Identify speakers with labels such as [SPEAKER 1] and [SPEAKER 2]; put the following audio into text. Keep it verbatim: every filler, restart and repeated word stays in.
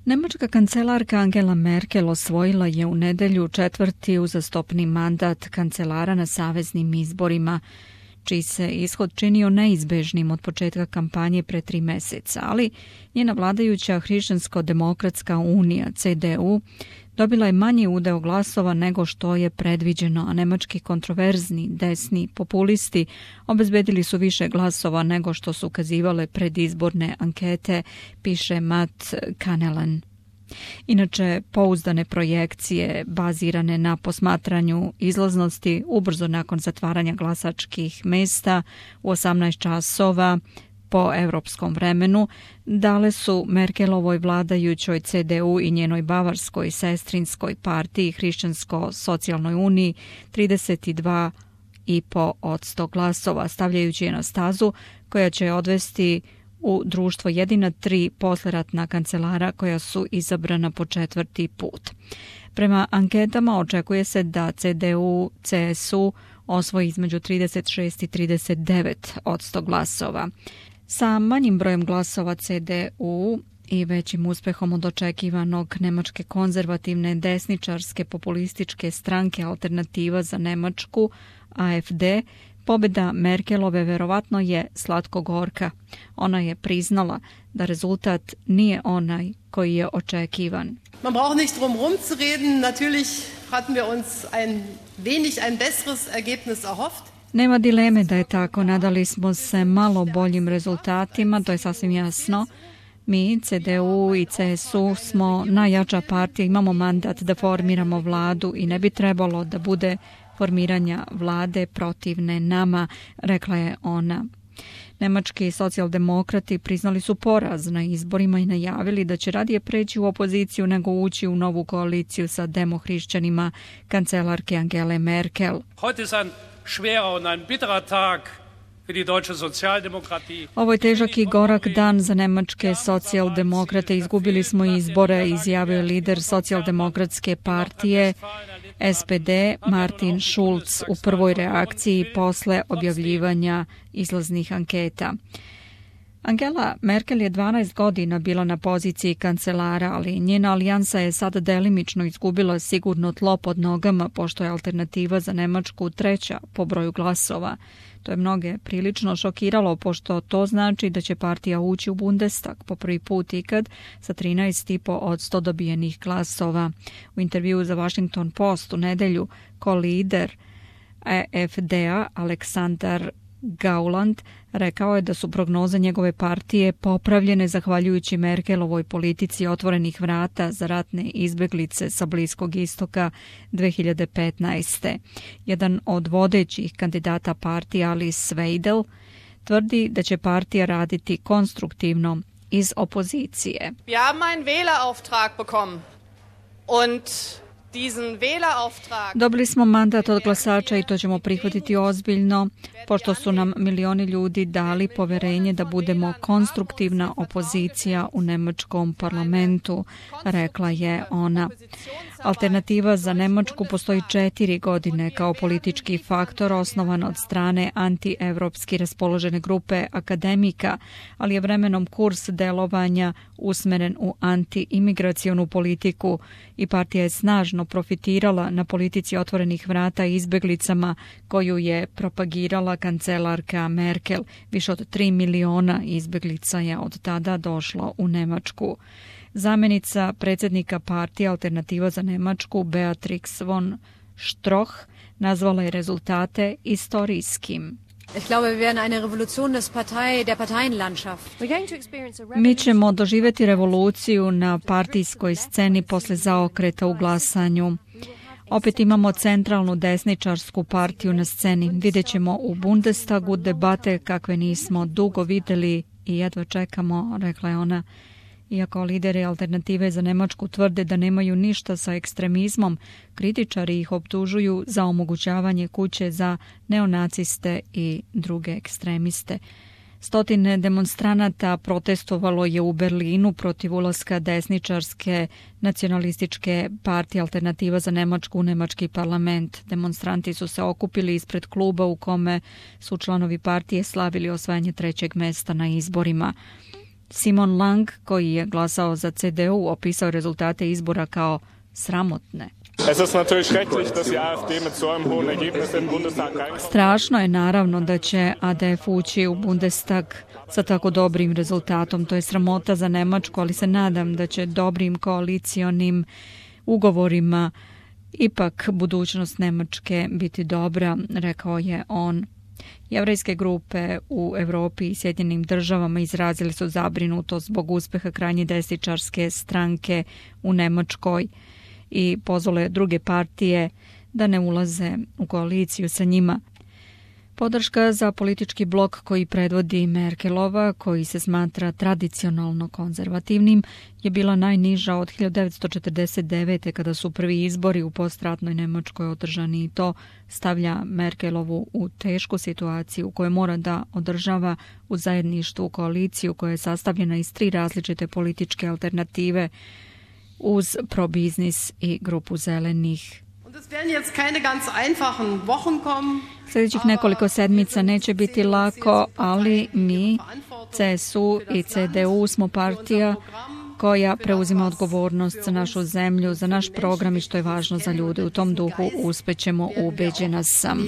[SPEAKER 1] Nemačka kancelarka Angela Merkel osvojila je u nedelju četvrti uzastopni mandat kancelara na saveznim izborima, čiji se ishod činio neizbežnim od početka kampanje pre tri meseca, ali njena vladajuća Hrišćansko-demokratska unija C D U dobila je manji udeo glasova nego što je predviđeno, a nemački kontroverzni desni populisti obezbedili su više glasova nego što su ukazivale predizborne ankete, piše Matt Kanelen. Inače, pouzdane projekcije bazirane na posmatranju izlaznosti ubrzo nakon zatvaranja glasačkih mesta u osamnaest časova po evropskom vremenu dale su Merkelovoj vladajućoj C D U i njenoj bavarskoj sestrinskoj partiji Hrišćansko-socijalnoj uniji trideset dva i po posto glasova, stavljajući je na stazu koja će odvesti u društvo jedina tri posleratna kancelara koja su izabrana po četvrti put. Prema anketama očekuje se da C D U C S U osvoji između trideset šest i trideset devet posto glasova. Sa manjim brojem glasova C D U i većim uspehom od očekivanog nemačke konzervativne desničarske populističke stranke Alternativa za Nemačku A F D, pobjeda Merkelove verovatno je slatko-gorka. Ona je priznala da rezultat nije onaj koji je očekivan.
[SPEAKER 2] Man braucht nicht drum herum zu reden. Natürlich hatten wir uns ein wenig ein besseres Ergebnis erhofft.
[SPEAKER 1] Nema dileme da je tako. Nadali smo se malo boljim rezultatima, to je sasvim jasno. Mi, C D U i C S U, smo najjača partija, imamo mandat da formiramo vladu i ne bi trebalo da bude formiranja vlade protivne nama, rekla je ona. Nemački socijaldemokrati priznali su poraz na izborima i najavili da će radije preći u opoziciju nego ući u novu koaliciju sa demohrišćanima kancelarke Angele Merkel. Ovo je težak i gorak dan za nemačke socijaldemokrate. Izgubili smo izbore, izjavio lider socijaldemokratske partije S P D Martin Schulz u prvoj reakciji posle objavljivanja izlaznih anketa. Angela Merkel je dvanaest godina bila na poziciji kancelara, ali njena alijansa je sada delimično izgubila sigurno tlo pod nogama, pošto je Alternativa za Nemačku treća po broju glasova. To je mnoge prilično šokiralo, pošto to znači da će partija ući u Bundestag po prvi put ikad sa trinaest i po posto dobijenih glasova. U intervjuu za Washington Post u nedelju ko-lider A F D-a Aleksandar Gauland rekao je da su prognoze njegove partije popravljene zahvaljujući Merkelovoj politici otvorenih vrata za ratne izbeglice sa Bliskog istoka dve hiljade petnaeste. Jedan od vodećih kandidata partije, Alice Weidel, tvrdi da će partija raditi konstruktivno iz opozicije.
[SPEAKER 3] Wir haben einen Wählerauftrag bekommen und
[SPEAKER 1] Dobili smo mandat od glasača i to ćemo prihvatiti ozbiljno, pošto su nam milioni ljudi dali poverenje da budemo konstruktivna opozicija u nemačkom parlamentu, rekla je ona. Alternativa za Nemačku postoji četiri godine kao politički faktor osnovan od strane antievropski raspoložene grupe akademika, ali je vremenom kurs delovanja usmeren u anti-imigracionu politiku i partija je snažno profitirala na politici otvorenih vrata izbeglicama koju je propagirala kancelarka Merkel. Više od tri miliona izbeglica je od tada došlo u Nemačku. Zamenica predsjednika partije Alternativa za Nemačku Beatrix von Stroh nazvala je rezultate istorijskim. Mi ćemo doživjeti revoluciju na partijskoj sceni posle zaokreta u glasanju. Opet imamo centralnu desničarsku partiju na sceni. Vidjet ćemo u Bundestagu debate kakve nismo dugo vidjeli i jedva čekamo, rekla je ona. Iako lideri Alternative za Nemačku tvrde da nemaju ništa sa ekstremizmom, kritičari ih optužuju za omogućavanje kuće za neonaciste i druge ekstremiste. Stotine demonstranata protestovalo je u Berlinu protiv ulaska desničarske nacionalističke partije Alternativa za Nemačku u nemački parlament. Demonstranti su se okupili ispred kluba u kome su članovi partije slavili osvajanje trećeg mesta na izborima. Simon Lang, koji je glasao za C D U, opisao rezultate izbora kao sramotne. Strašno je naravno da će A D F ući u Bundestag sa tako dobrim rezultatom. To je sramota za Nemačku, ali se nadam da će dobrim koalicionim ugovorima ipak budućnost Nemačke biti dobra, rekao je on. Jevrejske grupe u Europi i Sjedinjenim državama izrazili su zabrinutost zbog uspeha krajnje desničarske stranke u Nemačkoj i pozvale druge partije da ne ulaze u koaliciju sa njima. Podrška za politički blok koji predvodi Merkelova, koji se smatra tradicionalno konzervativnim, je bila najniža od hiljadu devetsto četrdeset devete. kada su prvi izbori u postratnoj Nemačkoj održani, i to stavlja Merkelovu u tešku situaciju u kojoj mora da održava u zajedništvu koaliciju koja je sastavljena iz tri različite političke alternative uz probiznis i grupu zelenih. Sljedećih nekoliko sedmica neće biti lako, ali mi, C S U i C D U, smo partija koja preuzima odgovornost za našu zemlju, za naš program i što je važno za ljude. U tom duhu uspećemo, ubeđena sam.